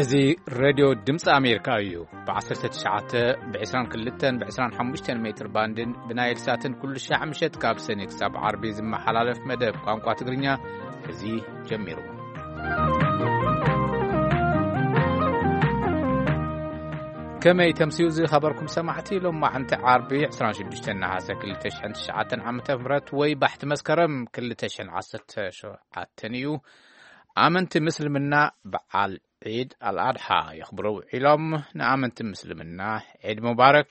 እዚ ሬድዮ ድምፂ ኣሜሪካ እዩ። ብ19፣ ብ22፣ ብ25 ሜትር ባንድን ብናይል ሳትን ኩሉ ሻዕ ምሸት ካብ ሰኔ ክሳብ ዓርቢ ዝመሓላለፍ መደብ ቋንቋ ትግርኛ እዚ ጀሚሩ። ከመይ ተምስዩ ዝኸበርኩም ሰማዕቲ? ሎማዓንቲ ዓርቢ 26 ነሓሰ 2009 ዓ.ም ወይ ባሕቲ መስከረም 2017 እዩ። ኣመንቲ ምስልምና በዓል ዒድ ኣልኣድሓ የኽብሩ ውዒሎም። ንኣመንቲ ምስልምና ዒድ ሙባረክ።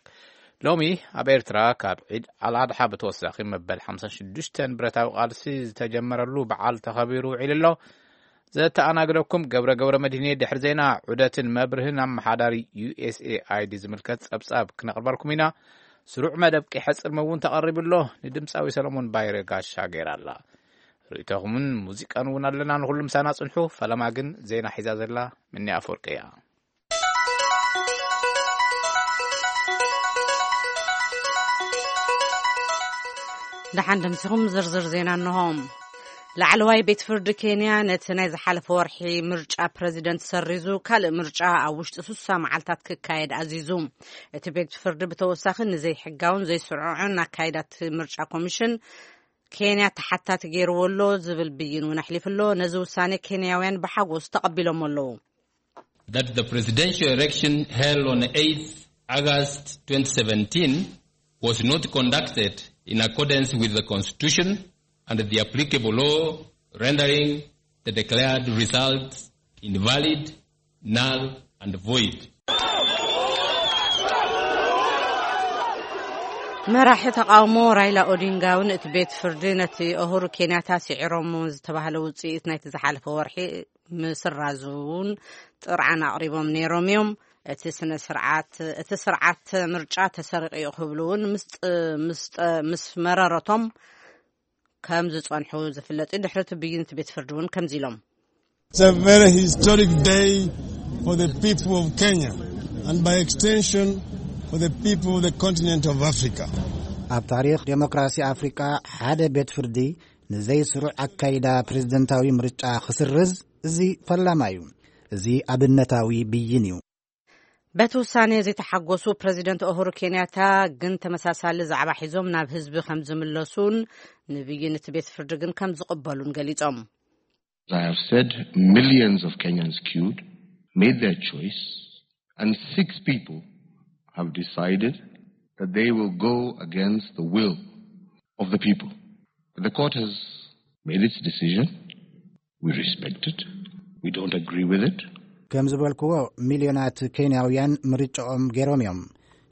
ሎሚ ኣብ ኤርትራ ካብ ዒድ ኣልኣድሓ ብተወሳኺ መበል 56 ብረታዊ ቃልሲ ዝተጀመረሉ በዓል ተኸቢሩ ውዒሉ ኣሎ። ዘተኣናግደኩም ገብረ ገብረ መድህኔ። ድሕሪ ዜና ዑደትን መብርህን ኣመሓዳሪ ዩ ኤስ ኤ ኣይ ዲ ዝምልከት ጸብጻብ ክነቕርበልኩም ኢና። ስሩዕ መደብ ቂሐ ጽልሚ እውን ተቐሪቡ ኣሎ። ንድምጻዊ ሰለሞን ባይረ ጋሻ ገይራ ኣላ። ርእይቶኹምን ሙዚቃን እውን ኣለና። ንኹሉ ምሳና ጽንሑ። ፈለማ ግን ዜና ሒዛ ዘላ ምኒ ኣፈወርቂ እያ። ደሓን ደምሲኹም። ዝርዝር ዜና እንሆ። ላዕለዋይ ቤት ፍርዲ ኬንያ ነቲ ናይ ዝሓለፈ ወርሒ ምርጫ ፕረዚደንት ሰሪዙ፣ ካልእ ምርጫ ኣብ ውሽጢ 60 መዓልታት ክካየድ ኣዚዙ። እቲ ቤት ፍርዲ ብተወሳኺ ንዘይሕጋውን ዘይስርዑን ኣካይዳት ምርጫ ኮሚሽን ኬንያ ተሓታቲ ገይርዎ ኣሎ ዝብል ብይን እውን ኣሕሊፉ ኣሎ። ነዚ ውሳኔ ኬንያውያን ብሓጎስ ተቐቢሎሞ ኣለዉ። That the presidential election held on eighth August twenty seventeen was not conducted in accordance with the constitution and the applicable law, rendering the declared results invalid, null and void. መራሒ ተቃውሞ ራይላ ኦዲንጋ እውን እቲ ቤት ፍርዲ ነቲ ኡሁሩ ኬንያታ ስዒሮሞ ዝተባህለ ውፅኢት ናይቲ ዝሓለፈ ወርሒ ምስራዙ እውን ጥርዓን ኣቕሪቦም ነይሮም እዮም። እቲ ስነ ስርዓት፣ እቲ ስርዓት ምርጫ ተሰሪቑ እዩ ክብሉ እውን ምስ ጥ-፣ ምስ ጠ-፣ ምስ መረረቶም ከም ዝጸንሑ ዝፍለጥ እዩ። ድሕሪ እቲ ብይን እቲ ቤት ፍርዲ እውን ከምዚ ኢሎም። It's a very historic day for the people of Kenya and by extension for the people of the continent of Africa. ኣብ ታሪኽ ዴሞክራሲ ኣፍሪቃ ሓደ ቤት ፍርዲ ንዘይስሩዕ ኣካይዳ ፕሬዝደንታዊ ምርጫ ክስርዝ፣ እዚ ፈላማ እዩ። እዚ ኣብነታዊ ብይን እዩ። በቲ ውሳኔ ዘይተሓጎሱ ፕረዚደንት ኡሁሩ ኬንያታ ግን ተመሳሳሊ ዛዕባ ሒዞም ናብ ህዝቢ ከም ዝምለሱን ንብይን እቲ ቤት ፍርዲ ግን ከም ዝቕበሉን ገሊጾም። As I have said, millions of Kenyans queued, made their choice, and six people have decided that they will go against the will of the people. The court has made its decision. We respect it. We don't agree with it. ከም ዝበልክዎ፣ ሚልዮናት ኬንያውያን ምርጫኦም ገይሮም እዮም።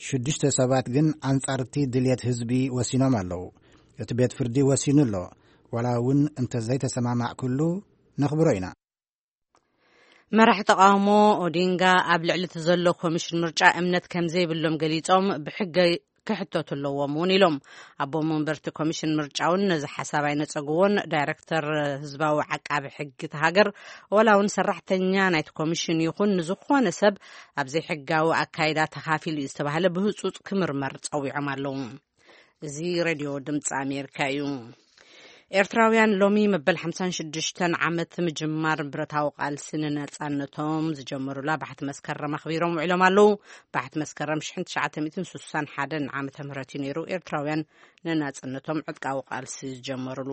ሽዱሽተ ሰባት ግን ኣንጻርቲ ድልየት ህዝቢ ወሲኖም ኣለዉ። እቲ ቤት ፍርዲ ወሲኑ ኣሎ። ዋላ እውን እንተ ዘይተሰማማዕኩሉ፣ ነኽብሮ ኢና። መራሒ ተቃውሞ ኦዲንጋ ኣብ ልዕሊ እቲ ዘሎ ኮሚሽን ምርጫ እምነት ከም ዘይብሎም ገሊጾም፣ ብሕገ ክሕተቱ ኣለዎም እውን ኢሎም። ኣቦ መንበርቲ ኮሚሽን ምርጫ እውን ነዚ ሓሳብ ኣይነጸግዎን። ዳይረክተር ህዝባዊ ዓቃቢ ሕጊ እቲ ሃገር፣ ዋላ እውን ሰራሕተኛ ናይቲ ኮሚሽን ይኹን ንዝኾነ ሰብ ኣብ ዘይሕጋዊ ኣካይዳ ተኻፊሉ እዩ ዝተባህለ ብህጹጽ ክምርመር ጸዊዖም ኣለዉ። እዚ ሬድዮ ድምፂ ኣሜሪካ እዩ። ኤርትራውያን ሎሚ መበል ሓምሳን ሽዱሽተን ዓመት ምጅማር ብረታዊ ቃልሲ ንነጻነቶም ዝጀመሩላ ባሕቲ መስከረም ኣኽቢሮም ውዒሎም ኣለዉ። ባሕቲ መስከረም ሽሕን ትሽዓተ ሚእትን ስሳን ሓደን ዓመተ ምህረት እዩ ነይሩ ኤርትራውያን ንናጽነቶም ዕጥቃዊ ቃልሲ ዝጀመሩሉ።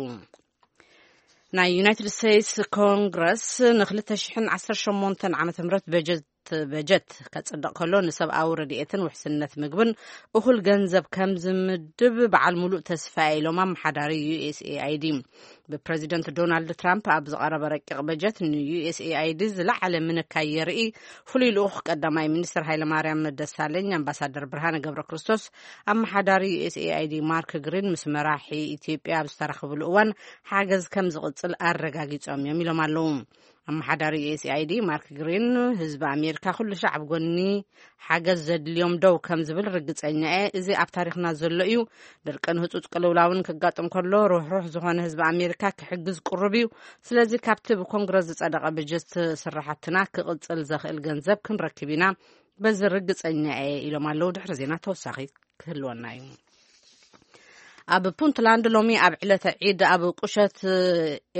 ናይ ዩናይትድ ስቴትስ ኮንግረስ ን2018 ዓመተ ምህረት በጀት በጀት ከጽድቕ ከሎ፣ ንሰብኣዊ ረድኤትን ውሕስነት ምግብን እኹል ገንዘብ ከም ዝምድብ በዓል ሙሉእ ተስፋ ኢሎም ኣመሓዳሪ ዩ ኤስ ኤ ኣይ ዲ። ብፕረዚደንት ዶናልድ ትራምፕ ኣብ ዝቐረበ ረቂቕ በጀት ን ዩ ኤስ ኤ ኣይ ዲ ዝለዓለ ምንካይ የርኢ። ፍሉይ ልኡኽ ቀዳማይ ሚኒስትር ሃይለማርያም ደሳለኝ፣ ኣምባሳደር ብርሃነ ገብረ ክርስቶስ፣ ኣመሓዳሪ ዩ ኤስ ኤ ኣይ ዲ ማርክ ግሪን ምስ መራሒ ኢትዮጵያ ኣብ ዝተራኸብሉ እዋን ሓገዝ ከም ዝቕጽል ኣረጋጊጾም እዮም ኢሎም ኣለዉ። ኣመሓዳሪ ዩ ኤስ ኤ ኣይ ዲ ማርክ ግሪን፣ ህዝቢ ኣሜሪካ ኩሉ ሻዕ ኣብ ጎኒ ሓገዝ ዘድልዮም ደው ከም ዝብል ርግጸኛ እየ። እዚ ኣብ ታሪኽና ዘሎ እዩ። ድርቅን ህጹጽ ቅልውላውን ክጋጥም ከሎ፣ ሩሕሩሕ ዝኾነ ህዝቢ ኣሜሪካ ክሕግዝ ቅሩብ እዩ። ስለዚ ካብቲ ብኮንግረስ ዝጸደቐ በጀት ስራሕትና ክቕጽል ዘኽእል ገንዘብ ክንረክብ ኢና። በዚ ርግጸኛ እየ ኢሎም ኣለዉ። ድሕሪ ዜና ተወሳኺ ክህልወና እዩ። ኣብ ፑንትላንድ ሎሚ ኣብ ዕለተ ዒድ ኣብ ቁሸት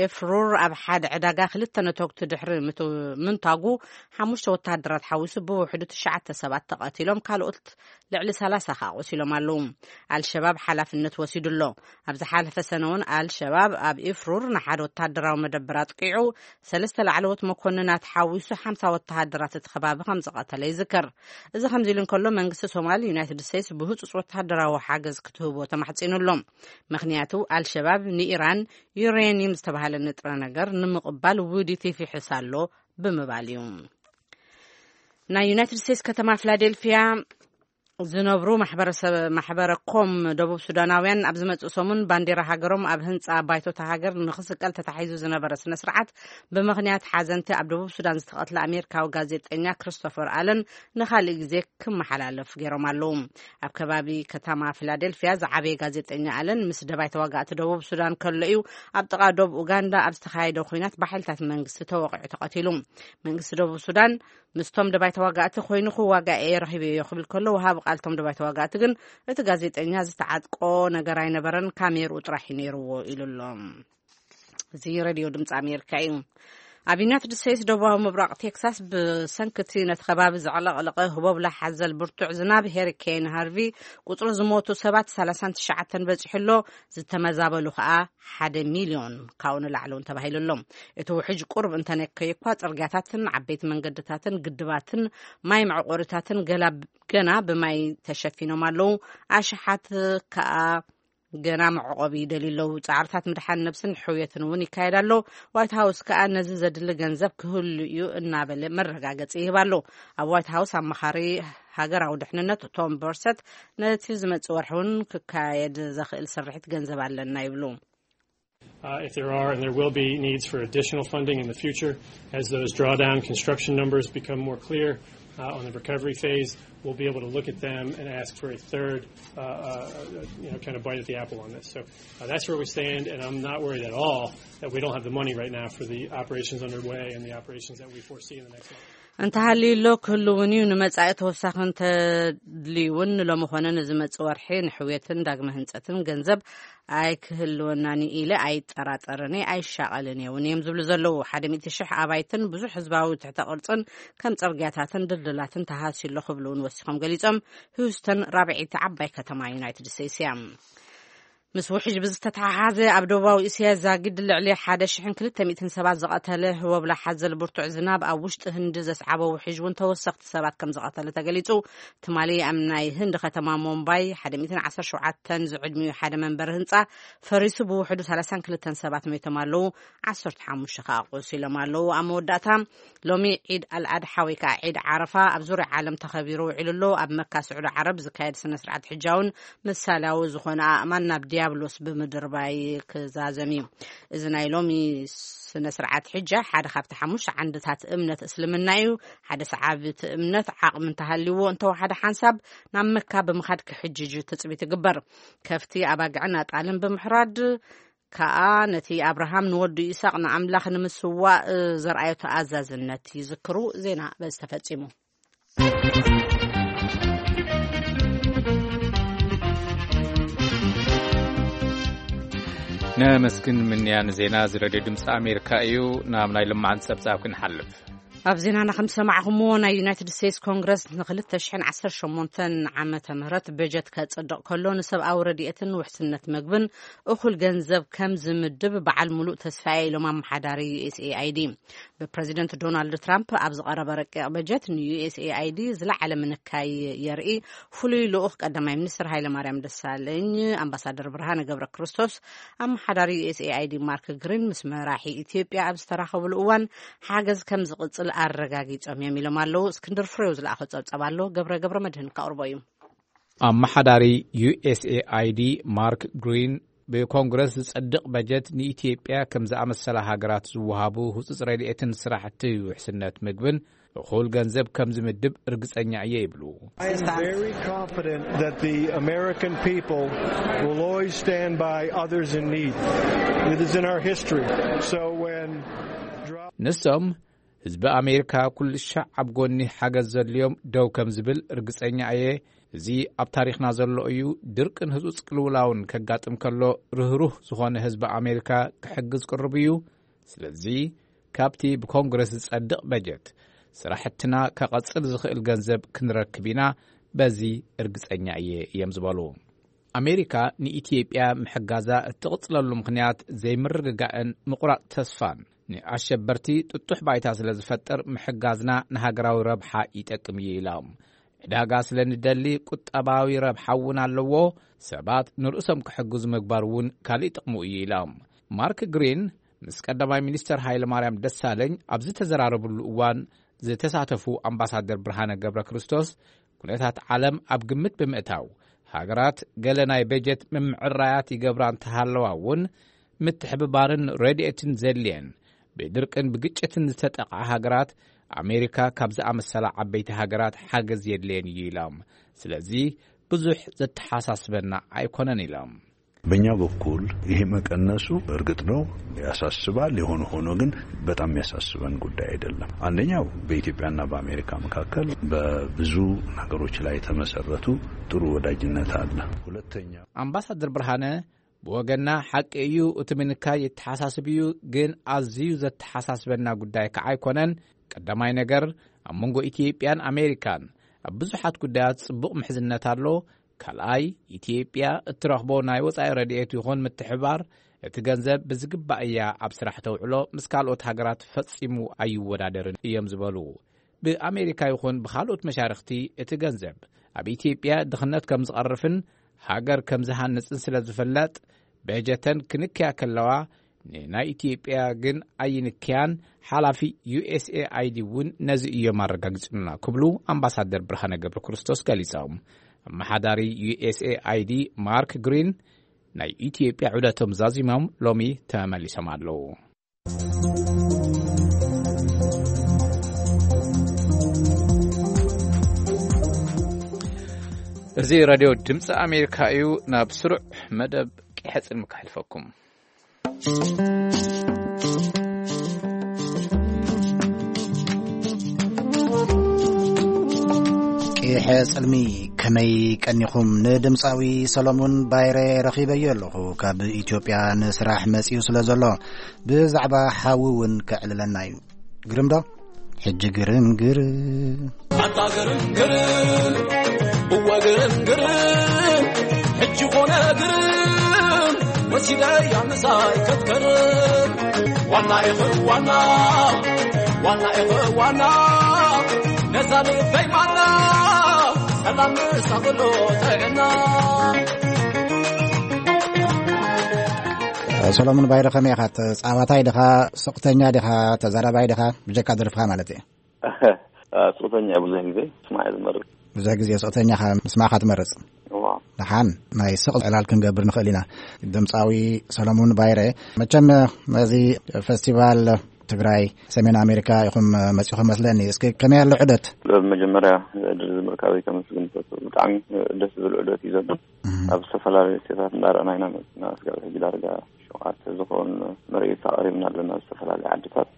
ኤፍሩር ኣብ ሓደ ዕዳጋ ክልተ ነተጉቲ ድሕሪ ምት-፣ ምንታጉ፣ ሓሙሽተ ወተሃደራት ሓዊሱ ብውሕዱ ትሽዓተ ሰባት ተቐቲሎም፣ ካልኦት ልዕሊ ሰላሳ ከኣ ቆሲሎም ኣለዉ። ኣልሸባብ ሓላፍነት ወሲዱ ኣሎ። ኣብ ዝሓለፈ ሰነ እውን ኣልሸባብ ኣብ ኤፍሩር ንሓደ ወተሃደራዊ መደበር ኣጥቂዑ፣ ሰለስተ ላዕለዎት መኮንናት ሓዊሱ ሓምሳ ወተሃደራት እቲ ከባቢ ከም ዝቐተለ ይዝከር። እዚ ከምዚ ኢሉ እንከሎ፣ መንግስቲ ሶማል ዩናይትድ ስቴትስ ብህጹጽ ወተሃደራዊ ሓገዝ ክትህቦ ተማሕጺኑ ኣሎ። ምኽንያቱ ኣልሸባብ ንኢራን ዩሬኒየም ዝተባህለ ንጥረ ነገር ንምቕባል ውዲት ይፍሕስ ኣሎ ብምባል እዩ። ናይ ዩናይትድ ስቴትስ ከተማ ፊላዴልፊያ ዝነብሩ ማሕበረሰብ፣ ማሕበረ ኮም ደቡብ ሱዳናውያን ኣብ ዝመጽእ ሰሙን ባንዲራ ሃገሮም ኣብ ህንጻ ባይቶታ ሃገር ንኽስቀል ተታሒዙ ዝነበረ ስነ ስርዓት ብምኽንያት ሓዘንቲ ኣብ ደቡብ ሱዳን ዝተቐትለ ኣሜሪካዊ ጋዜጠኛ ክሪስቶፈር ኣለን ንኻልእ ግዜ ክመሓላለፍ ገይሮም ኣለዉ። ኣብ ከባቢ ከተማ ፊላዴልፊያ ዝዓበየ ጋዜጠኛ ኣለን ምስ ደባይ ተዋጋእቲ ደቡብ ሱዳን ከሎ እዩ ኣብ ጥቓ ዶብ ኡጋንዳ ኣብ ዝተኻየደ ኲናት ብሓይልታት መንግስቲ ተወቒዑ ተቐቲሉ። መንግስቲ ደቡብ ሱዳን ምስቶም ደባይ ተዋጋእቲ ኮይኑ ክዋጋእ እየ ረኺበዮ ክብል ከሎ፣ ወሃቢ ቃል እቶም ደባይ ተዋጋእቲ ግን እቲ ጋዜጠኛ ዝተዓጥቆ ነገር ኣይነበረን፣ ካሜርኡ ጥራሕ እዩ ነይርዎ ኢሉ ኣሎ። እዚ ሬድዮ ድምፂ ኣሜሪካ እዩ። ኣብ ዩናይትድ ስቴትስ ደቡባዊ ምብራቕ ቴክሳስ ብሰንኪ እቲ ነቲ ከባቢ ዘዕለቕለቐ ህቦብላ ሓዘል ብርቱዕ ዝናብ ሄሪኬን ሃርቪ ቁፅሪ ዝሞቱ ሰባት ሰላሳን ትሽዓተን በፂሑ ኣሎ። ዝተመዛበሉ ከኣ ሓደ ሚልዮን ካብኡ ንላዕሊ እውን ተባሂሉ ኣሎ። እቲ ውሕጅ ቁሩብ እንተነከየ እኳ፣ ጽርግያታትን ዓበይቲ መንገድታትን ግድባትን ማይ መዕቆሪታትን ገላ-፣ ገና ብማይ ተሸፊኖም ኣለዉ። ኣሽሓት ከኣ ገና መዕቆቢ ይደልዩ ኣለዉ። ጻዕርታት ምድሓን ነብስን ሕውየትን እውን ይካየድ ኣሎ። ዋይት ሃውስ ከኣ ነዚ ዘድሊ ገንዘብ ክህሉ እዩ እናበለ መረጋገጺ ይህብ ኣሎ። ኣብ ዋይት ሃውስ ኣማኻሪ ሃገራዊ ድሕንነት ቶም በርሰት ነቲ ዝመጽእ ወርሒ እውን ክካየድ ዘኽእል ስርሒት ገንዘብ ኣለና ይብሉ። Uh, if there are, and there will be needs for additional funding in the future, as those drawdown construction numbers become more clear, uh, on the recovery phase, we'll be able to look at them and ask for a third, uh, uh, you know, kind of bite at the apple on this. So, uh, that's where we stand, and I'm not worried at all that we don't have the money right now for the operations underway and the operations that we foresee in the next month. እንተሃልዩ ኣሎ ክህልውን እዩ። ንመጻኢ ተወሳኺ እንተድልዩ እውን ንሎሚ ኮነ ንዝመጽእ ወርሒ ንሕውየትን ዳግመ ህንጸትን ገንዘብ ኣይክህልወናን ኢለ ኣይጠራጠርን እየ፣ ኣይሻቐልን እየ እውን እዮም ዝብሉ ዘለዉ። ሓደ ሚእቲ ሽሕ ኣባይትን ብዙሕ ህዝባዊ ትሕተ ቅርጽን ከም ጽርግያታትን ድልድላትን ተሃስዩ ኣሎ ክብሉ እውን ወሲኾም ገሊጾም። ሂውስተን ራብዐይቲ ዓባይ ከተማ ዩናይትድ ስቴትስ እያ። ምስ ውሕጅ ብዝተተሓሓዘ ኣብ ደቡባዊ እስያ ዛጊድ ልዕሊ ሓደ ሽሕን ክልተ ሚእትን ሰባት ዝቐተለ ህቦብላ ሓዘል ብርቱዕ ዝናብ ኣብ ውሽጢ ህንዲ ዘስዓቦ ውሕጅ እውን ተወሰኽቲ ሰባት ከም ዝቐተለ ተገሊጹ። ትማሊ ኣብ ናይ ህንዲ ከተማ ሞምባይ ሓደ ሚእትን ዓሰርተ ሸውዓተን ዝዕድሚኡ ሓደ መንበሪ ህንጻ ፈሪሱ ብውሕዱ ሰላሳን ክልተን ሰባት ሞይቶም ኣለዉ። ዓሰርተ ሓሙሽተ ከኣ ቆሲሎም ኣለዉ። ኣብ መወዳእታ ሎሚ ዒድ ኣልኣድሓ ወይ ከኣ ዒድ ዓረፋ ኣብ ዙርያ ዓለም ተኸቢሩ ውዒሉ ኣሎ። ኣብ መካ ስዑዲ ዓረብ ዝካየድ ስነ ስርዓት ሕጃ እውን ምሳሌያዊ ዝኾነ ኣእማን ናብ ዲያብሎስ ብምድርባይ ክዛዘም እዩ። እዚ ናይ ሎሚ ስነ ስርዓት ሕጃ ሓደ ካብቲ ሓሙሽተ ዓንድታት እምነት እስልምና እዩ። ሓደ ሰዓቢ እቲ እምነት ዓቕሚ እንተሃልይዎ እንተወሓደ ሓንሳብ ናብ መካ ብምኻድ ክሕጅጅ ትጽቢት ይግበር። ከፍቲ ኣባግዕን ኣጣልን ብምሕራድ ከኣ ነቲ ኣብርሃም ንወዱ ይስሐቅ ንኣምላኽ ንምስዋእ ዘርኣዮ ተኣዛዝነት ይዝክሩ። ዜና በዚ ተፈጺሙ። ነመስግን ምንያ ንዜና እዚ ሬድዮ ድምፂ ኣሜሪካ እዩ። ናብ ናይ ልማዓን ጸብጻብ ክንሓልፍ። ኣብ ዜናና ከም ዝሰማዕኹምዎ፣ ናይ ዩናይትድ ስቴትስ ኮንግረስ ንክልተ ሽሕን ዓሰርተ ሸሞንተን ዓመተ ምህረት በጀት ከጽድቕ ከሎ፣ ንሰብኣዊ ረድኤትን ውሕስነት መግብን እኹል ገንዘብ ከም ዝምድብ በዓል ሙሉእ ተስፋ እየ ኢሎም ኣመሓዳሪ ዩ ኤስ ኤ ኣይ ዲ። ብፕረዚደንት ዶናልድ ትራምፕ ኣብ ዝቐረበ ረቂቕ በጀት ን ዩ ኤስ ኤ ኣይ ዲ ዝለዓለ ምንካይ የርኢ። ፍሉይ ልኡኽ ቀዳማይ ሚኒስትር ሃይለማርያም ደሳለኝ ኣምባሳደር ብርሃነ ገብረ ክርስቶስ ኣመሓዳሪ ዩ ኤስ ኤ ኣይ ዲ ማርክ ግሪን ምስ መራሒ ኢትዮጵያ ኣብ ዝተራኸብሉ እዋን ሓገዝ ከም ዝቕጽል ኣረጋጊጾም እዮም ኢሎም ኣለዉ። እስክንድር ፍሬው ዝለኣኸ ጸብጸብ ኣሎ፣ ገብረ ገብረ መድህን ከቕርቦ እዩ። ኣመሓዳሪ ዩ ኤስ ኤ ኣይ ዲ ማርክ ግሪን ብኮንግረስ ዝጸድቕ በጀት ንኢትዮጵያ ከም ዝኣመሰላ ሃገራት ዝወሃቡ ህጹጽ ረድኤትን ስራሕቲ ውሕስነት ምግብን እኹል ገንዘብ ከም ዝምድብ ርግጸኛ እየ ይብሉ። I am very confident that the American people will always stand by others in need. It is in our history. So when drought ንሶም ህዝቢ ኣሜሪካ ኩሉ ሻዕ ኣብ ጎኒ ሓገዝ ዘድልዮም ደው ከም ዝብል ርግጸኛ እየ። እዚ ኣብ ታሪኽና ዘሎ እዩ። ድርቅን ህጹጽ ቅልውላውን ከጋጥም ከሎ፣ ርህሩህ ዝኾነ ህዝቢ ኣሜሪካ ክሕግዝ ቅሩብ እዩ። ስለዚ፣ ካብቲ ብኮንግረስ ዝጸድቕ በጀት፣ ስራሕትና ከቐጽል ዝኽእል ገንዘብ ክንረክብ ኢና፣ በዚ እርግጸኛ እየ፣ እዮም ዝበሉ። ኣሜሪካ ንኢትዮጵያ ምሕጋዛ እትቕጽለሉ ምኽንያት ዘይምርግጋእን ምቑራጽ ተስፋን፣ ንኣሸበርቲ ጥጡሕ ባይታ ስለ ዝፈጥር፣ ምሕጋዝና ንሃገራዊ ረብሓ ይጠቅም እዩ ኢሎም። ዕዳጋ ስለ ንደሊ፣ ቁጠባዊ ረብሓ እውን ኣለዎ። ሰባት ንርእሶም ክሕግዙ ምግባር እውን ካልእ ጥቕሙ እዩ ኢሎም። ማርክ ግሪን ምስ ቀዳማይ ሚኒስተር ሃይለ ማርያም ደሳለኝ ኣብ ዝተዘራረብሉ እዋን ዝተሳተፉ ኣምባሳደር ብርሃነ ገብረ ክርስቶስ፣ ኩነታት ዓለም ኣብ ግምት ብምእታው፣ ሃገራት ገለ ናይ በጀት ምምዕራያት ይገብራ እንተሃለዋ እውን፣ ምትሕብባርን ረድኤትን ዘድልየን፣ ብድርቅን ብግጭትን ዝተጠቕዓ ሃገራት፣ ኣሜሪካ ካብ ዝኣመሰላ ዓበይቲ ሃገራት ሓገዝ የድልየን እዩ ኢሎም። ስለዚ ብዙሕ ዘተሓሳስበና ኣይኮነን ኢሎም። በእኛ በኩል ይሄ መቀነሱ እርግጥ ነው ያሳስባል። የሆነ ሆኖ ግን በጣም የሚያሳስበን ጉዳይ አይደለም። አንደኛው በኢትዮጵያና በአሜሪካ መካከል በብዙ ነገሮች ላይ የተመሰረቱ ጥሩ ወዳጅነት አለ። ሁለተኛ አምባሳደር ብርሃነ ብወገና ሓቂ እዩ፣ እቲ ምንካይ የተሓሳስብ እዩ፣ ግን ኣዝዩ ዘተሓሳስበና ጉዳይ ከዓ ኣይኮነን። ቀዳማይ ነገር ኣብ መንጎ ኢትዮጵያን ኣሜሪካን ኣብ ብዙሓት ጉዳያት ጽቡቕ ምሕዝነት ኣሎ። ካልኣይ፣ ኢትዮጵያ እትረኽቦ ናይ ወጻኢ ረድኤት ይኹን ምትሕባር፣ እቲ ገንዘብ ብዝግባእ እያ ኣብ ስራሕ ተውዕሎ፣ ምስ ካልኦት ሃገራት ፈጺሙ ኣይወዳደርን እዮም ዝበሉ። ብኣሜሪካ ይኹን ብኻልኦት መሻርኽቲ እቲ ገንዘብ ኣብ ኢትዮጵያ ድኽነት ከም ዝቐርፍን ሃገር ከም ዝሃንጽን ስለ ዝፍለጥ፣ በጀተን ክንክያ ከለዋ፣ ንናይ ኢትዮጵያ ግን ኣይንክያን፣ ሓላፊ ዩ ኤስ ኤ ኣይ ዲ እውን ነዚ እዮም ኣረጋጊጹልና ክብሉ ኣምባሳደር ብርሃነ ገብረ ክርስቶስ ገሊጾም። ኣመሓዳሪ ዩ ኤስ ኤ ኣይ ዲ ማርክ ግሪን ናይ ኢትዮጵያ ዑደቶም ዛዚሞም ሎሚ ተመሊሶም ኣለዉ። እዚ ራድዮ ድምፂ ኣሜሪካ እዩ። ናብ ስሩዕ መደብ ቂሐ ጽልሚ ከሕልፈኩም። ቂሐ ጽልሚ፣ ከመይ ቀኒኹም? ንድምፃዊ ሰሎሙን ባይረ ረኺበዮ ኣለኹ። ካብ ኢትዮጵያ ንስራሕ መጺኡ ስለ ዘሎ፣ ብዛዕባ ሓዊ እውን ከዕልለና እዩ። ግርም ዶ? ሕጂ ግርም ግርም። ኣታ ግርም ግርም፣ እወ ግርም ግርም፣ ሕጂ ኮነ ግርም፣ ወሲደያ ምሳይ ከትከርም። ዋና ኢኺ ዋና፣ ዋና ኢኺ ዋና፣ ነዛ ልበይ ማና፣ ሰላም ንሳ ኩሉ ጥዕና። ሰሎሙን ባይረ፣ ከመይ ኢኻ? ተጻዋታይ ዲኻ? ስቕተኛ ዲኻ? ተዛራባይ ዲኻ? ብጀካ ደርፍኻ ማለት እየ። ስቕተኛ ብዙሕ ግዜ ስማዕ እየ ዝመርጽ። ብዙሕ ግዜ ስቕተኛ ኢኻ፣ ምስማዕኻ ትመርጽ? እዋ። ደሓን ናይ ስቕ ዕላል ክንገብር ንኽእል ኢና። ድምጻዊ ሰሎሙን ባይረ፣ መቸም ነዚ ፈስቲቫል ትግራይ ሰሜን ኣሜሪካ ኢኹም መጺኹም መስለኒ። እስኪ ከመይ ኣሎ ዑደት? መጀመርያ ዕድል ምርካበይ ከመስግን እፈቱ። ብጣዕሚ ደስ ዝብል ዑደት እዩ ዘሎ። እህ። ኣብ ዝተፈላለዩ ስቴታት እንዳረኣና ኢና መጺና። እስካብ ሕጂ ዳርጋ ሸውዓተ ዝኾን ምርኢት ኣቕሪብና ኣለና ኣብ ዝተፈላለዩ ዓድታት።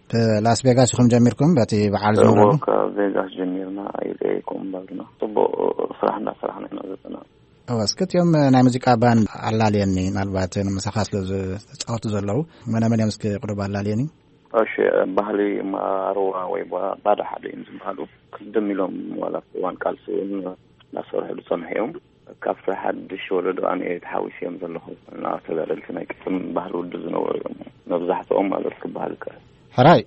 ላስ ቬጋስ ኢኹም ጀሚርኩም በቲ በዓል እዎ፣ ዝነበረሉ? ካብ ቬጋስ ጀሚርና ኣይለየኩም ባልና ጽቡቕ ስራሕ እንዳሰራሕና ኢና ዘለና። እወ፣ እስኪ እቲኦም ናይ ሙዚቃ ባንድ ኣላልየኒ፣ ምናልባት ምሳኻ ስለ ዝተጻወቱ ዘለዉ መነ መን እዮም? እስኪ ቁሩብ ኣላልየኒ። እሺ፣ ባህሊ ማርዋ ወይ ባ-፣ ባዳ ሓደ እዮም ዝበሃሉ። ቅድም ኢሎም ዋላ እዋን ቃልሲ እውን እናሰርሑ ዝጸንሑ እዮም። ካብቲ ሓድሽ ወለዶ ኣነ ተሓዊሰ እዮም ዘለኹ። እና ተጋደልቲ ናይ ቅድም ባህሊ ውድብ ዝነበሩ እዮም መብዛሕትኦም ማለት ክበሃል ይከኣል። ሕራይ፣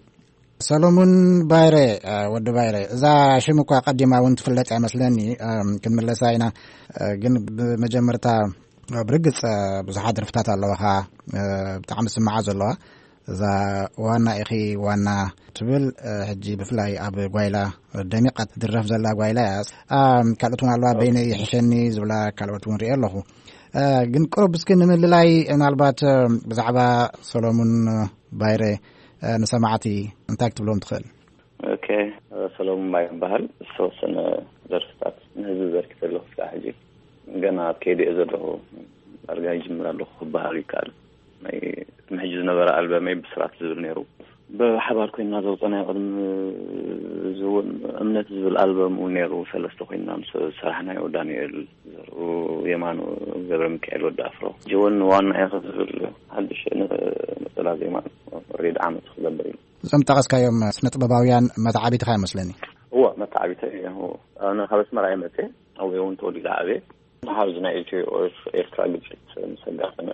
ሰሎሙን ባይረ፣ እ፣ ወዲ ባይረ፣ እዛ ሽም እኳ ቀዲማ እውን ትፍለጥ እያ መስለኒ፣ እም፣ ክንምለሳ ኢና። እ፣ ግን ብመጀመርታ፣ እ፣ ብርግጽ፣ እ፣ ብዙሓት ደርፍታት ኣለዋኻ፣ እ፣ ብጣዕሚ ዝስምዓ ዘለዋ። እዛ ዋና ኢኺ ዋና ትብል፣ እ፣ ሕጂ ብፍላይ ኣብ ጓይላ ደሚቓ ትድረፍ ዘላ ጓይላ እያ። እም፣ ካልኦት እውን ኣለዋ፣ በይነይ ይሕሸኒ ዝብላ ካልኦት እውን ሪኤ ኣለኹ። እ፣ ግን ቅሩብ እስኪ ንምልላይ ምናልባት፣ እ፣ ብዛዕባ ሰሎሙን ባይረ፣ እ፣ ንሰማዕቲ እንታይ ክትብሎም ትኽእል? ኦኬ፣ ሰሎሙን ባይረ ይበሃል። ዝተወሰነ ደርፍታት ንህዝቢ በርኪተ ኣለኹ። እስካብ ሕጂ ገና ኣብ ከይዲ እየ ዘለኹ። ዳርጋ ይጅምር ኣለኹ ክበሃል ይከኣል። ናይ ቅድሚ ሕጂ ዝነበረ ኣልበመይ ብስራት ዝብል ነይሩ። ብሓባር ኮይና ዘውፀናዮ ቅድሚ እዚ እውን እምነት ዝብል ኣልበም እውን ነይሩ። ሰለስተ ኮይና ምስ ሰራሕናዮ ዳንኤል ዘርኡ፣ የማኑ ገብረ ሚካኤል ወዲ ኣፍሮ፣ ጅውን ዋና ኢኸ ዝብል ሓድሽ ን-፣ ነፀላ ዜማ ሬድ ዓመት ክገብር እዩ። እዞም ጠቐስካዮም ስነ ጥበባውያን መተዓቢትኻ ይመስለኒ። እወ፣ መተዓቢተ እዮም። ኣነ ካብ ኣስመራ እየ መፅእ። ኣብኡ እውን ተወሊደ ዓብየ። መሓዝ ናይ ኢትዮ ኤርትራ ግጭት ምስ ኣጋጠመ፣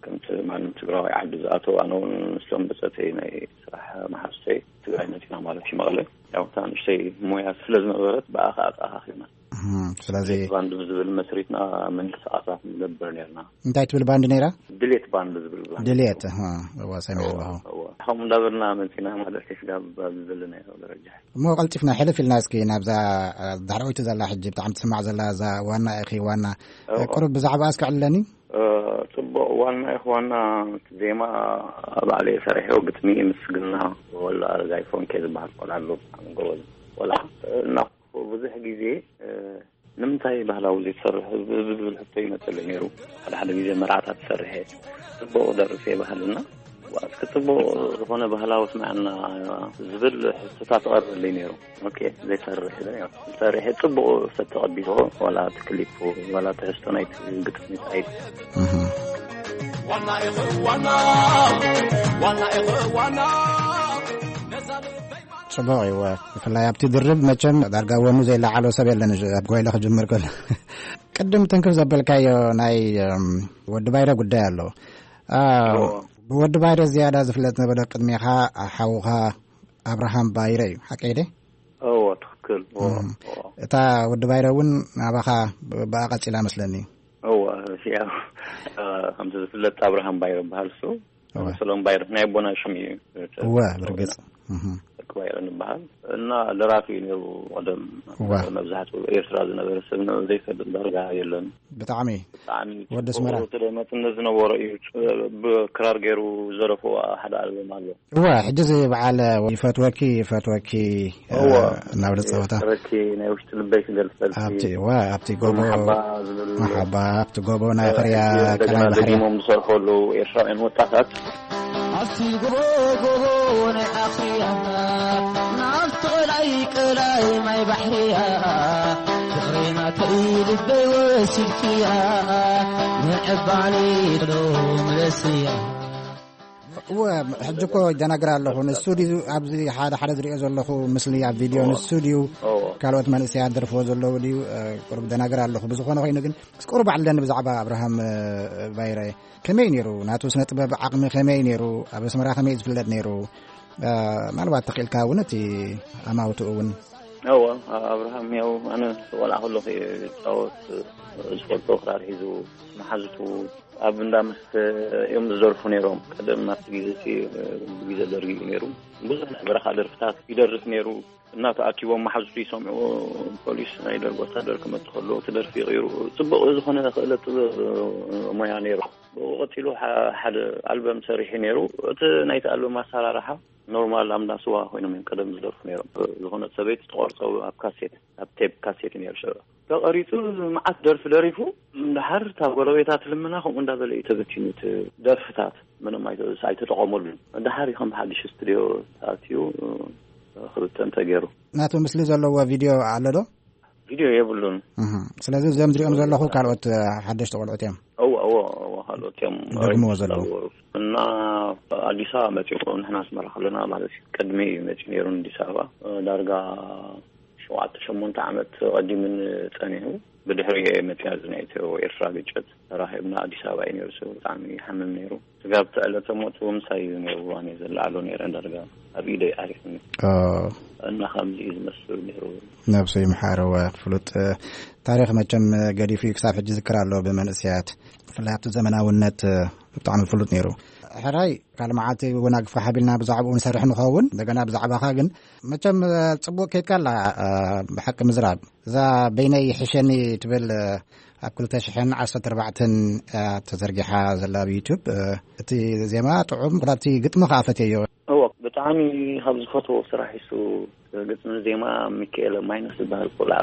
ከምቲ ማንም ትግራዋይ ዓዲ ዝኣተው፣ ኣነ እውን ምስቶም ብፀተይ ናይ ስራሕ መሓዝተይ ትግራይ መፂና ማለት እዩ፣ መቐለ። ያው እታ ንእሽተይ ሞያ ስለ ዝነበረት፣ ብኣኻ ኣተኣኻኺብና። እም፣ ስለዚ ባንድ ብዝብል መስሪትና ምንቅስቃሳት ንገብር ነርና። እንታይ ትብል ባንድ ነይራ? ድሌት ባንድ ዝብል ባንድ። ድሌት፣ እህ፣ እዋ፣ ሰሚዐ ኣለኹ። እዋ። ከምኡ እንዳበልና መፂና ማለት እዩ፣ ስጋብ ኣብዚ ዘለናዮ ደረጃ። እሞ ቀልጢፍና ሕልፍ ኢልና እስኪ ናብዛ፣ እ፣ ዳሕረወይቲ ዘላ፣ ሕጂ ብጣዕሚ ትስማዕ ዘላ እዛ ዋና ኢኺ ዋና። እዋ። ቁሩብ ብዛዕባኣ እስኪ ዕልለኒ። እ፣ ጽቡቕ። ዋና ኢኺ ዋና ዜማ ባዕለይ ሰሪሐዮ፣ ግጥሚ ምስግና ወላ፣ ዛይ ፎንኬ ዝበሃል ቆልዓ ኣሎ፣ ብጣዕሚ ጎበዝ ቆልዓ። እና ብዙሕ ግዜ፣ እ፣ ንምንታይ ባህላዊ ዘይትሰርሕ ብ-፣ ብ-፣ ዝብል ሕቶ ይመጸለይ ነይሩ። ሓደ ሓደ ግዜ መርዓታት ትሰርሕ እየ፣ ጽቡቕ ደርፍ እየ ባህልና፣ እስኪ ጽቡቕ ዝኾነ ባህላዊ ስምዐና ዝብል ሕቶታት ትቐርበለይ ነይሩ። ኦኬ፣ ዘይሰርሕ ኢለ፣ ያው ሰሪሐ ጽቡቕ ሰብ ተቐቢልዎ፣ ዋላ እቲ ክሊፕ፣ ዋላ ትሕዝቶ ናይቲ ግጥሚ እንታይ። እህ። ዋና ኢኹ ዋና፣ ዋና ኢኹ ዋና፣ ነዛ ልበይ ጽቡቕ እዩ። ብፍላይ ኣብቲ ድርብ መቸም ዳርጋ ወኑ ዘይለዓሎ ሰብ የለን፣ ኣብ ጎይለ ክጅምር ከሎ። ቅድም ትንክፍ ዘበልካዮ ናይ፣ እም፣ ወዲ ባይረ ጉዳይ ኣሎ። አ፣ እዎ። ብወዲ ባይረ ዝያዳ ዝፍለጥ ነበረ ቅድሜኻ ሓውኻ ኣብርሃም ባይረ እዩ፣ ሓቀይ ደ? እዎ፣ ትኽክል። እዎ፣ እም። እዎ። እታ ወዲ ባይረ እውን ናባኻ ብ-፣ ብኣ ቀጺላ መስለኒ። እዎ፣ ያው፣ እ፣ ከምቲ ዝፍለጥ ኣብርሃም ባይረ በሃል እሱ። እወ። ሰሎም ባይረ ናይ ኣቦና ሽም እዩ። እወ፣ ብርግጽ። እህ። ደቂ ባይረ ንበሃል። እና ደራፊ እዩ ነይሩ ቀደም። እወ። መብዛሕትኡ ኤርትራ ዝነበረ ሰብ ነው ዘይፈልጥ ዳርጋ የለን። ብጣዕሚ። ብጣዕሚ ወዲ ኣስመራ። ጽቡቕ መጽነት ዝነበሮ እዩ። ብ-፣ ብክራር ገይሩ ዘረፎ ሓደ ኣልበም ኣሎ። እወ፣ ሕጂ እዚ በዓል ይፈትወኪ፣ ይፈትወኪ፣ እወ። እ፣ እናበለ ዝጻወታ። ይፈትወኪ፣ ናይ ውሽጢ ልበይ ክገልጸልኪ። ኣብቲ፣ እወ፣ ኣብቲ ጎቦ፣ መሓባ ዝብል። መሓባ፣ ኣብቲ ጎቦ ናይ እ፣ ሕርያ፣ እንደገና ቀላይ ባሕርያ። ደጊሞም ዝሰርሑ ኣለዉ ኤርትራውያን ወጣታት። ኣብቲ ጎቦ፣ ጎቦ ናይ ኣኽርያ፣ ናብቲ ቀላይ፣ ቀላይ ማይ ባሕርያ፣ ፍቕሪ ናተይ ልበይ ወሲድክያ፣ ምዕባሊ ዶ ምለስያ። እወ፣ ሕጂ እኮ ይደናግር ኣለኹ። ንሱ ድዩ ኣብዚ ሓደ ሓደ ዝሪኦ ዘለኹ ምስሊ ኣብ ቪድዮ፣ እዎ። ንሱ ድዩ እዎ። ካልኦት መንእሰያት ደርፍዎ ዘለዉ ድዩ? እ፣ ቁሩብ ደናግር ኣለኹ። ብዝኾነ ኮይኑ ግን፣ ምስ ቁሩብ ዓለኒ ብዛዕባ ኣብርሃም፣ እ፣ ባይረ። ከመይ ነይሩ? ናቱ ስነ ጥበብ ዓቕሚ ከመይ ነይሩ? ኣብ ኣስመራ ከመይ ዝፍለጥ ነይሩ? እ፣ ምናልባት ተኽኢልካ እውን እቲ ኣማውትኡ እውን። እዎ፣ ኣብርሃም ያው ኣነ ቆልዓ ከለኹ እየ ዝጫወት፣ ዝፈልጦ ክራር ሒዙ፣ መሓዙቱ ኣብ እንዳ መስተ እዮም ዝደርፉ ነይሮም። ቀደም ኣብቲ ግዜ እቲ፣ ግዜ ደርጊ እዩ ነይሩ። ብዙሕ ናይ በረኻ ደርፍታት ይደርፍ ነይሩ። እናተኣኪቦም መሓዙቱ ይሰምዑ፣ ፖሊስ ናይ ደርጊ ወታደር ክመጽእ ከሎ እቲ ደርፊ ይቕይሩ። ጽቡቕ ዝኾነ ክእለት ጥበብ ሞያ ነይሩ። ብኡ ቀጺሉ ሓ-፣ ሓደ ኣልበም ሰሪሑ ነይሩ። እቲ ናይቲ ኣልበም ኣሰራርሓ ኖርማል ኣብ እንዳ ስዋ ኮይኖም እዮም ቀደም ዝደርፉ ነይሮም። ዝኾነት ሰበይቲ ትቆርጾ ኣብ ካሴት፣ ኣብ ቴፕ ካሴት እዩ ነይሩ ሽዑ። ተቐሪጹ መዓት ደርፊ ደሪፉ፣ እንድሓር እታ ጎረቤታ ትልምና ከምኡ እንዳበለ እዩ ተበቲኑ እቲ ደርፍታት። ምንም ኣይተ-፣ ኣይተጠቐመሉን። እንድሓር እዩ ከም ሓድሽ ስቱድዮ ተኣትዩ ክብተን ተገይሩ። ናቱ ምስሊ ዘለዎ ቪድዮ ኣሎ ዶ? ቪድዮ የብሉን። እህ። ስለዚ እዞም ዝሪኦም ዘለኹ ካልኦት፣ እ፣ ሓደሽቲ ቆልዑት እዮም። እወ፣ እወ፣ እወ፣ ካልኦት እዮም። ይደግምዎ ዘለዉ። እና ኣዲስ ኣበባ መጺኡ ንሕና ኣስመራ ከለና ማለት እዩ። ቅድሚ እዩ መጺኡ ነይሩ ንኣዲስ ኣበባ። እ፣ ዳርጋ ሸውዓተ ሸሞንተ ዓመት ቀዲሙን ጸኒሑ። ብድሕሪ መጺኣ እዚ ናይ ኢትዮ ኤርትራ ግጭት ተራኺብና ኣዲስ ኣበባ እዩ ነይሩ። ሰው ብጣዕሚ ይሓምም ነይሩ። ስጋብ እቲ ዕለተ ሞቱ ምሳይ እዩ ነይሩ። ኣነ ዘለዓሉ ነይረ ዳርጋ ኣብ ኢደይ ዓሪፉኒ። ኦ። እና ከምዚ እዩ ዝመስል ነይሩ። ነብሱ ይምሓር። እወ፣ ፍሉጥ፣ እ፣ ታሪኽ መቸም፣ እ፣ ገዲፉ እዩ። ክሳብ ሕጂ ዝክር ኣሎ ብመንእሰያት። ብፍላይ ኣብቲ ዘመናውነት፣ እ፣ ብጣዕሚ ፍሉጥ ነይሩ። ሕራይ፣ ካልእ መዓልቲ እውን ኣግፍካ ሓቢልና ብዛዕባኡ ንሰርሕ ንኸውን። እንደገና ብዛዕባኻ ግን መቸም፣ እ፣ ጽቡቕ ከይድካ ኣላ፣ እ፣ ብሓቂ ምዝራብ። እዛ በይነይ ይሕሸኒ ትብል፣ እ፣ ኣብ ክልተ ሽሕን ዓሰርተ ኣርባዕተን እያ ተዘርጊሓ ዘላ ኣብ ዩቱብ። እ፣ እቲ ዜማ ጥዑም፣ ካብቲ ግጥሚ ከኣ ፈትየዮ። እወ፣ ብጣዕሚ ካብ ዝፈትዎ ስራሕ እሱ ግጥሚ ዜማ ሚካኤል ማይነስ ዝበሃል ቆልዓ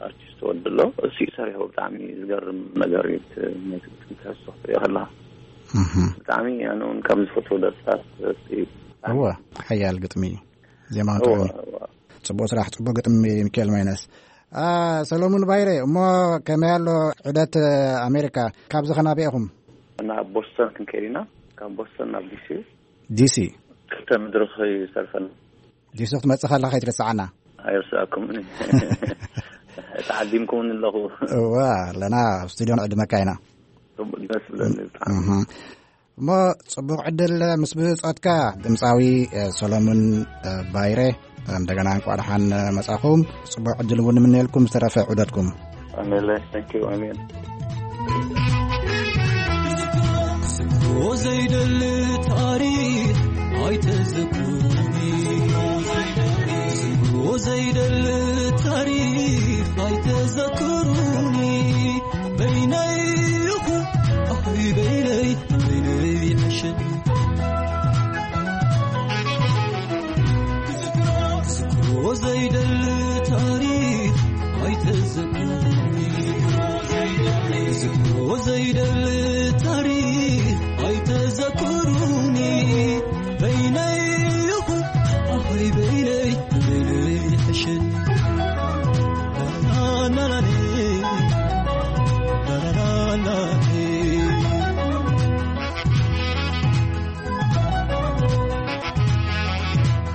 ኣርቲስት ወዲ ኣሎ። እሱ እዩ ሰሪሑ። ብጣዕሚ ዝገርም ነገር እዩ። እቲ ናይቲ ግጥሚ ትሕዝቶ ክትሪኦ ከለኻ። እህ። ብጣዕሚ ኣነ እውን ካብ ዝፈትዎ ደርፍታት እቲ እወ፣ ሓያል ግጥሚ፣ ዜማን እወ፣ ጥዑም። እወ። ጽቡቕ ስራሕ፣ ጽቡቕ ግጥሚ፣ ሚካኤል ማይነስ። አ፣ ሰሎሙን ባይረ፣ እሞ ከመይ ኣሎ ዑደት ኣሜሪካ? ካብዚ ኸ ናበይ ኢኹም? ናብ ቦስተን ክንከይድ ኢና። ካብ ቦስተን ናብ ዲሲ። ዲሲ? ክልተ መድረኽ ይሰርፈና። ዲሲ ክትመጽእ ከለኻ ከይትረስዓና። ኣይርስኣኩምን። ተዓዲምኩምን ኣለኹ። እወ፣ ኣለና፣ ኣብ ስቱድዮ ንዕድመካ ኢና። ጽቡቕ ደስ ብለኒ ብጣዕሚ። እህ። እሞ ጽቡቕ ዕድል ምስ ብጾትካ፣ ድምጻዊ፣ እ፣ ሰሎሙን፣ እ፣ ባይረ፣ እንደገና እንኳዕ ደሓን መጻኹም። ጽቡቕ ዕድል እውን ንምነየልኩም ዝተረፈ ዑደትኩም። ኣሜን። Thank you። ኣሜን። ዝክሮ ዘይደሊ ታሪኽ ኣይተዘክሩኒ። ዝክሮ ዘይደሊ ታሪኽ ኣይተዘክሩኒ። በይነይ ይኹን ኣይ በይነይ፣ በይነይ ይሕሸኒ። ዝክሮ ዘይደሊ ታሪኽ ኣይተዘክሩኒ። ዝክሮ ዘይደሊ ታሪኽ ኣይተዘክሩኒ። በይነይ ይኹን ኣይ በይነይ፣ በይነይ ይሕሸኒ። ላላላሌ፣ ላላላሌ።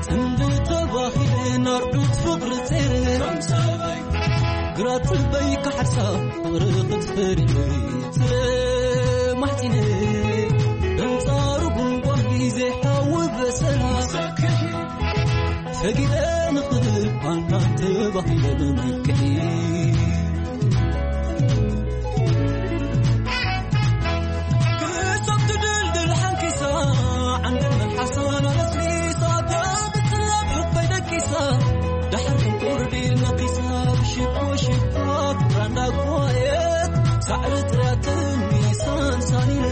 ጽምዲ ተባሂለ ናርዱት ፍቕሪ ጼረ፣ ግራት በይ ክሓርሳ ፍቕሪ ክትፈሪ ተማሕጺነ። ኣንጻሩ ጉንጓን ግዜ ሓዊ በሰል ሰጊደ ንኽእል ኣንታ ተባሂለ ብመልክዒ። ክሳብ ትድልድል ሓንኪሳ፣ ዓንደል መልሓሳን ኣነስኒሳ፣ ተብትላብ ሕቆይ ደቂሳ፣ ዳሕር ቁርዲ ነቂሳ፣ ብሽኮ ሽኮ ፍቅራ እንዳጓየት፣ ሳዕሪ ጥርያትን ሚሳን ሳኒነ፣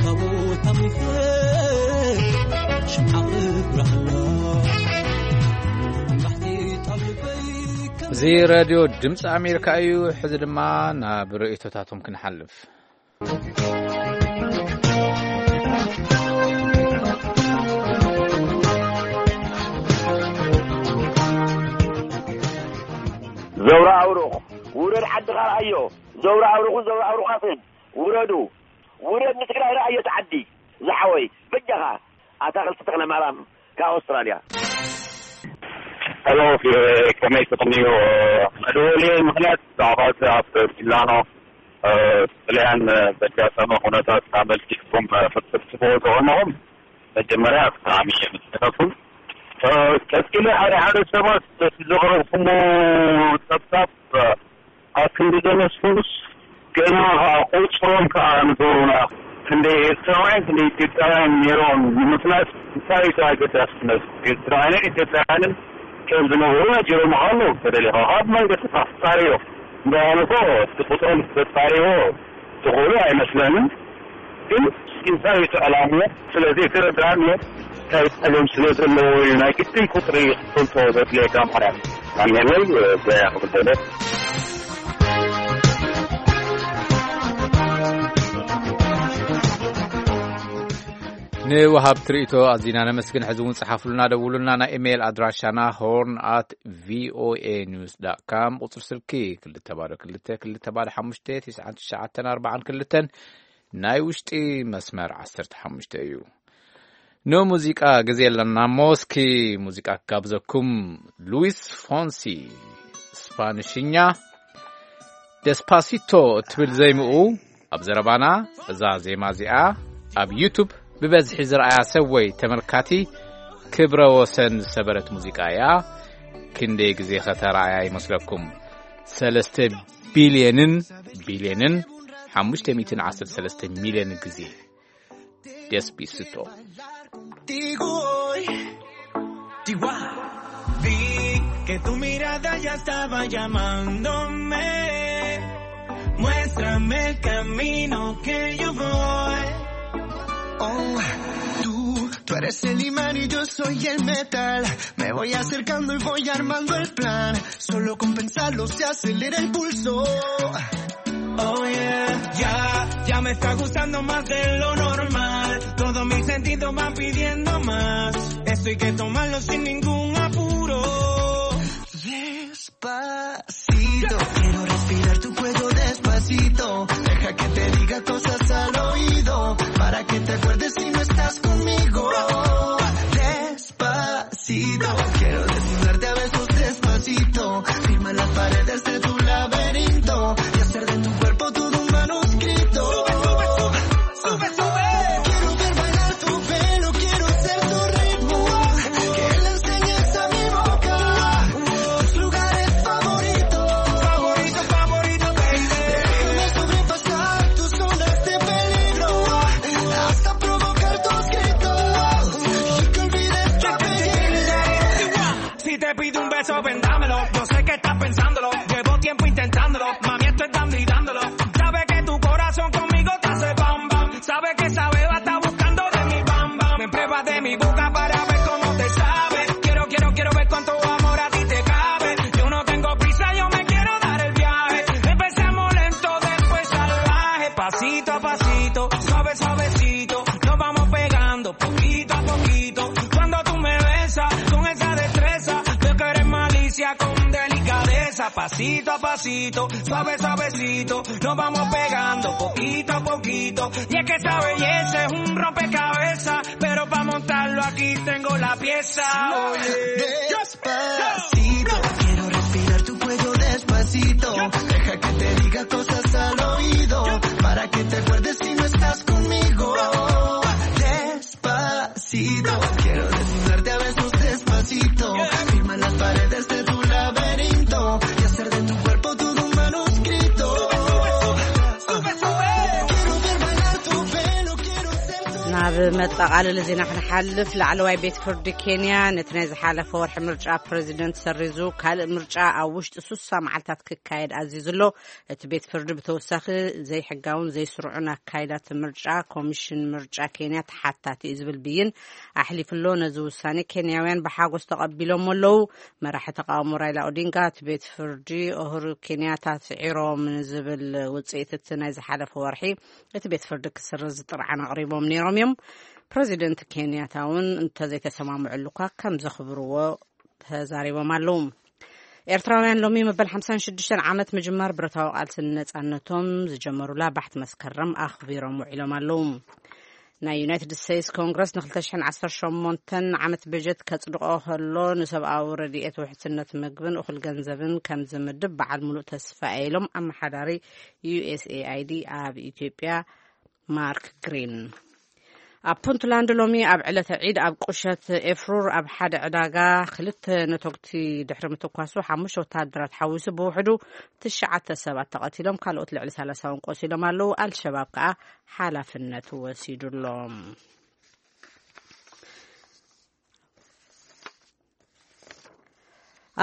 ካብኡ ታሚፈ፣ ሽምዓ ክብራህላ፣ ባሕቲ ጣብልበይ ከም እዚ ሬድዮ ድምፂ ኣሜሪካ እዩ። ሕዚ ድማ ናብ ርእይቶታቶም ክንሓልፍ። ዘውራ ኣውሩቕ፣ ውረድ ዓድኻ ርኣዮ። ዘውራ ኣውሩቕን ዘውራ ኣውሩቓትን፣ ውረዱ። ውረድ ንትግራይ ርኣዮ፣ እቲ ዓዲ ዝሓወይ። በጃኻ፣ ኣታኽልቲ ተኽለ ማርያም ካብ ኣውስትራልያ። ሄሎ፣ ፊ-፣ ከመይ ትቕንዩ? መደወሊ ምኽንያት ብዛዕባ እቲ ኣብ ሚላኖ፣ እ፣ ጥልያን ዘጋጠመ ኩነታት ኣመልኪትኩም፣ እ፣ ክትጽሕፉ ዝኾንኹም መጀመርያ ብጣዕሚ የመስግነኩም። እ፣ ቀጺለ ሓደ ሓደ ሰባት በቲ ዘቕረብኩሞ ጸብጻብ፣ እ፣ ኣብ ክንዲ ዘመስግኑስ ገና ኸኣ ቁጽሮም ከኣ ንገሩና። ክንደይ ኤርትራውያን ክንደይ ኢትዮጵያውያን ነይሮም ንምፍላጥ እንታይ እዩ ኣገዳስነት? ኤርትራውያንን ኢትዮጵያውያንን ከም ዝነበሩ ነጊሮም ኣለዉ። ተደሊኻ ካብ መንገዲ ተጻርዮ። እምበኣር እኮ እቲ ቁጽሮም ተጻርዮ ትኽእሉ ኣይመስለንን። ግን እንታይ እዩ እቲ ዕላምኡ? ስለዚ የተረዳን እንታይ ጸገም ስለ ዘለዎ እዩ ናይ ግድን ቁጽሪ ክትፈልጦ ዘድልየካ ምኽንያት። ኣሜለይ፣ በያ ክብደለ። ንወሃብ ትርኢቶ ኣዚና ነመስግን። ሕዚ እውን ጸሓፍሉና፣ ደውሉና። ናይ ኢሜይል ኣድራሻና ሆርን ኣት ቪኦኤ ኒውስ ዳት ካም፣ ቁጽሪ ስልኪ ክልተ ባዶ ክልተ፣ ክልተ ባዶ ሓሙሽተ፣ ትሽዓን ትሽዓተን ኣርባዓን ክልተን፣ ናይ ውሽጢ መስመር ዓሰርተ ሓሙሽተ እዩ። ንሙዚቃ ግዜ ኣለና እሞ፣ እስኪ ሙዚቃ ክጋብዘኩም። ሉዊስ ፎንሲ፣ ስፓንሽኛ፣ ደስፓሲቶ እትብል ዘይምኡ ኣብ ዘረባና። እዛ ዜማ እዚኣ ኣብ ዩቱብ ብበዝሒ ዝረኣያ ሰብ ወይ ተመልካቲ ክብረ ወሰን ዝሰበረት ሙዚቃ እያ። ክንደይ ግዜ ከተራእያ ይመስለኩም? ሰለስተ ቢልየንን ቢልየንን ሓሙሽተ ሚእትን ዓሰርተ ሰለስተ ሚልዮን ግዜ። Despacito. Contigo hoy, Chihuahua. Vi que tu mirada ya estaba llamándome. Muéstrame el camino que yo voy. Oh, tú, tú eres el imán y yo soy el metal. Me voy acercando y voy armando el plan. Solo con pensarlo se acelera el pulso. Oh yeah, ya, ya me está gustando más de lo normal. Todos mis sentidos van pidiendo Más, esto hay que tomarlo sin ningún apuro. Despacito, quiero respirar tu cuello despacito. Deja que te diga cosas al oído, para que te acuerdes si no estás conmigo. Despacito, quiero desnudarte a besos despacito. Firma las paredes de tu laberinto y hacer de tu cuerpo todo un manuscrito. Sube, sube, sube. Quiero ver bailar tu pelo, quiero ser tu ritmo. Que le enseñes a mi boca tus lugares favoritos. Favorito, favorito, baby. Déjame sobrepasar tus zonas de peligro. Hasta provocar tus gritos. Y que olvides tu apellido. Si te pido un beso, vendámelo. Yo sé que estás pensándolo. Llevo tiempo intentándolo. Mami, esto es dando y dándolo. Sabe que tu corazón conmigo te hace bam, bam. Sabe que esa beba está buscando de mi bam, bam. Me pruebas de mi boca para ver cómo te sabe. Quiero, quiero, quiero ver cuánto amor a ti te cabe. Yo no tengo prisa, yo me quiero dar el viaje. Empecemos lento, después salvaje. Pasito a pasito, suave, suavecito. Nos vamos pegando poquito a poquito. Cuando tú me besas con esa destreza, veo que eres malicia con delicadeza. Pasito a pasito, suave, suavecito. Nos vamos pegando poquito a poquito. Y es que esa belleza es un rompecabezas, pero pa' montarlo aquí tengo la pieza. Oye. Despacito, quiero respirar tu cuello despacito. Deja que te diga cosas al oído, para que te acuerdes si no estás conmigo. Despacito, quiero desnudarte a besos despacito. Firma las paredes de tu laberinto y hacer de tu cuerpo todo un manuscrito. Sube, sube, sube. Quiero ver bailar tu pelo, quiero ser tu ናብ መጠቓለሊ ዜና ክንሓልፍ፣ ላዕለዋይ ቤት ፍርዲ ኬንያ ነቲ ናይ ዝሓለፈ ወርሒ ምርጫ ፕረዚደንት ሰሪዙ ካልእ ምርጫ ኣብ ውሽጢ ሱሳ መዓልታት ክካየድ ኣዚዙ ኣሎ። እቲ ቤት ፍርዲ ብተወሳኺ ዘይሕጋውን ዘይስሩዕን ኣካይዳት ምርጫ ኮሚሽን ምርጫ ኬንያ ተሓታቲ እዩ ዝብል ብይን ኣሕሊፉ ኣሎ። ነዚ ውሳኔ ኬንያውያን ብሓጎስ ተቐቢሎሞ ኣለዉ። መራሒ ተቃውሞ ራይላ ኦዲንጋ እቲ ቤት ፍርዲ ኡሁሩ ኬንያታ ስዒሮም ንዝብል ውጽኢት እቲ ናይ ዝሓለፈ ወርሒ እቲ ቤት ፍርዲ ክስርዝ ጥርዓን ኣቕሪቦም ነይሮም እዮም። ፕረዚደንት ኬንያታ እውን እንተዘይተሰማምዑሉ እኳ ከም ዘኽብርዎ ተዛሪቦም ኣለዉ። ኤርትራውያን ሎሚ መበል ሓምሳን ሽዱሽተን ዓመት ምጅማር ብረታዊ ቃልሲ ንነጻነቶም ዝጀመሩላ ባሕቲ መስከረም ኣኽቢሮም ውዒሎም ኣለዉ። ናይ ዩናይትድ ስቴትስ ኮንግረስ ን ክልተ ሽሕን ዓሰርተ ሸሞንተን ዓመት በጀት ከጽድቆ ከሎ፣ ንሰብኣዊ ረድኤት፣ ውሕስነት ምግብን እኹል ገንዘብን ከም ዝምድብ በዓል ሙሉእ ተስፋ እየ ኢሎም ኣመሓዳሪ ዩ ኤስ ኤ ኣይ ዲ ኣብ ኢትዮጵያ ማርክ ግሪን። ኣብ ፑንትላንድ ሎሚ ኣብ ዕለተ ዒድ ኣብ ቁሸት ኤፍሩር ኣብ ሓደ ዕዳጋ ክልተ ነቶግቲ ድሕሪ ምትኳሱ፣ ሓሙሽተ ወተሃደራት ሓዊሱ ብውሕዱ ትሽዓተ ሰባት ተቐቲሎም፣ ካልኦት ልዕሊ ሰላሳ እውን ቆሲሎም ኣለዉ። ኣልሸባብ ከኣ ሓላፍነት ወሲዱ ኣሎ።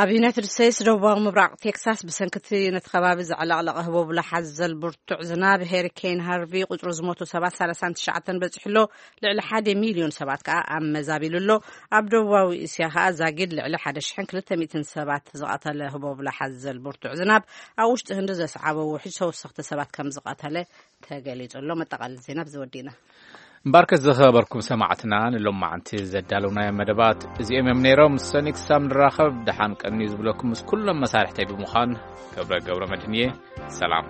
ኣብ ዩናይትድ ስቴትስ ደቡባዊ ምብራቕ ቴክሳስ ብሰንክቲ ነቲ ከባቢ ዘዕለቕለቐ ህቦብላ ሓዘል ብርቱዕ ዝናብ ሄሪኬን ሃርቪ ቁጽሪ ዝሞቱ ሰባት ሰላሳን ትሽዓተን በጺሑ ኣሎ። ልዕሊ ሓደ ሚልዮን ሰባት ከኣ ኣመዛቢሉ ኣሎ። ኣብ ደቡባዊ እስያ ከኣ ዛጊድ ልዕሊ ሓደ ሽሕን ክልተ ሚእትን ሰባት ዝቐተለ ህቦብላ ሓዘል ብርቱዕ ዝናብ ኣብ ውሽጢ ህንዲ ዘስዓቦ ውሕጅ ተወሰኽቲ ሰባት ከም ዝቐተለ ተገሊጹ ኣሎ። መጠቓለሊ ዜና ብዚ ወዲእና። እምበኣርከስ ዝኸበርኩም ሰማዕትና፣ ንሎማዓንቲ ዘዳለውናዮም መደባት እዚኦም እዮም ነይሮም። ሰኒ ክሳብ ንራኸብ ደሓን ቀንዩ ዝብለኩም ምስ ኩሎም መሳርሕተይ ብምዃን ገብረ ገብረ መድህን እየ። ሰላም።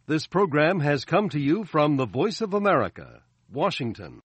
This program has come to you from the Voice of America, Washington.